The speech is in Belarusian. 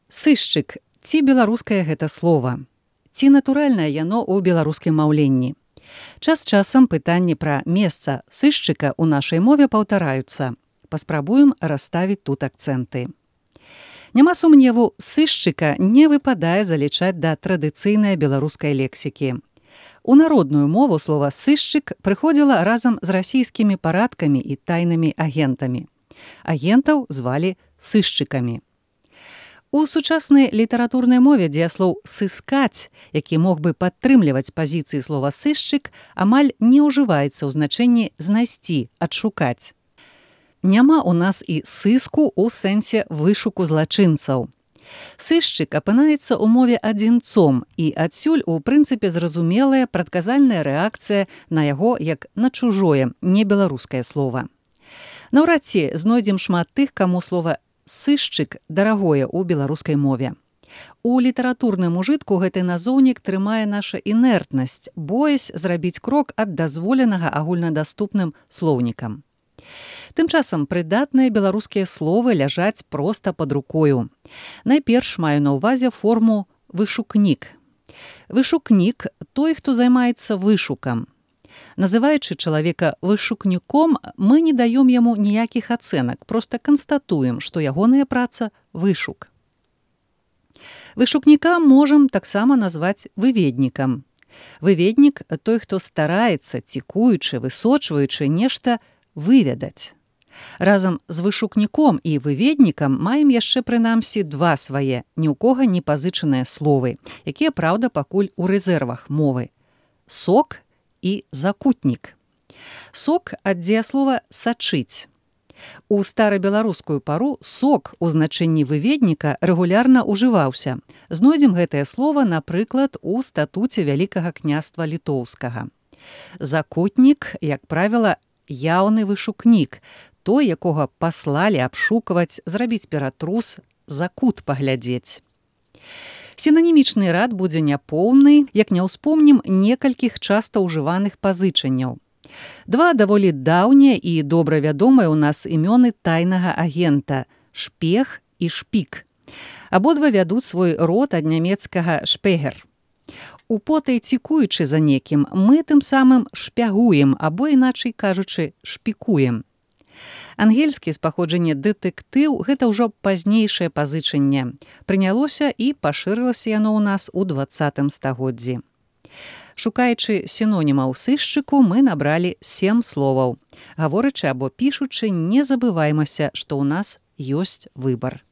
Сышчык, ці беларускае гэта слова? Ці натуральнае яно ў беларускім маўленні? Час часам пытанні пра месца сышчыка ў нашай мове паўтараюцца. Паспрабуем расставіць тут акцэнты. Няма сумневу, сышчыка не выпадае залічаць да традыцыйнай беларускай лексікі. У народную мову слова «сышчык» прыходзіла разам з расійскімі парадкамі і тайнымі агентамі. Агентаў звалі сышчыкамі. У сучаснай літаратурнай мове дзеяслоў «сыскаць», які мог бы падтрымліваць пазіцыі слова «сышчык», амаль не ўжываецца ў значэнні «знайсці», «адшукаць». Няма ў нас і сыску ў сэнсе вышуку злачынцаў. Сышчык апынаецца ў мове адзінцом, і адсюль у прынцыпе зразумелая прадказальная рэакцыя на яго як на чужое, небеларускае слова. Наўрад ці знойдзем шмат тых, каму слова «сышчык» дарагое ў беларускай мове. У літаратурным ужытку гэты назоўнік трымае наша інертнасць, боясь зрабіць крок ад дазволенага агульнадаступным слоўнікам. Тым часам прыдатныя беларускія словы ляжаць проста пад рукою. Найперш маю на ўвазе форму «вышукнік». Вышукнік – той, хто займаецца вышукам. Называючы чалавека вышукніком, мы не даём яму ніякіх ацэнак, проста канстатуем, што ягоная праца – вышук. Вышукніка можам таксама назваць выведнікам. Выведнік – той, хто стараецца, цікуючы, высочваючы нешта выведаць. Разам з вышукніком і выведнікам маем яшчэ прынамсі два свае, ні ў кога не пазычаныя словы, якія, праўда, пакуль у рэзервах мовы. Сок і закутнік. Сок ад дзеяслова «сачыць». У старабеларускую пару сок у значэнні выведніка рэгулярна ўжываўся. Знойдзем гэтае слова, напрыклад, у статуце Вялікага княства Літоўскага. Закутнік, як правіла, яўны вышукнік, той, якога паслалі абшукваць, зрабіць ператрус, за кут паглядзець. Сінанімічны рад будзе няпоўны, як не ўспомнім некалькіх часта ўжываных пазычанняў. Два даволі даўнія і добра вядомыя ў нас імёны тайнага агента – шпех і шпік. Абодва вядуць свой род ад нямецкага «шпегер». Употай цікуючы за некім, мы тым самым шпягуем, або, іначай кажучы, шпікуем. Ангельскі з паходжання дэтэктыў – гэта ўжо пазнейшае пазычанне. Прынялося і пашырылася яно ў нас у 20 стагоддзі. Шукаючы сінонімаў сышчыку, мы набралі 7 словаў. Гаворачы або пішучы, не забываймася, што ў нас ёсць выбар.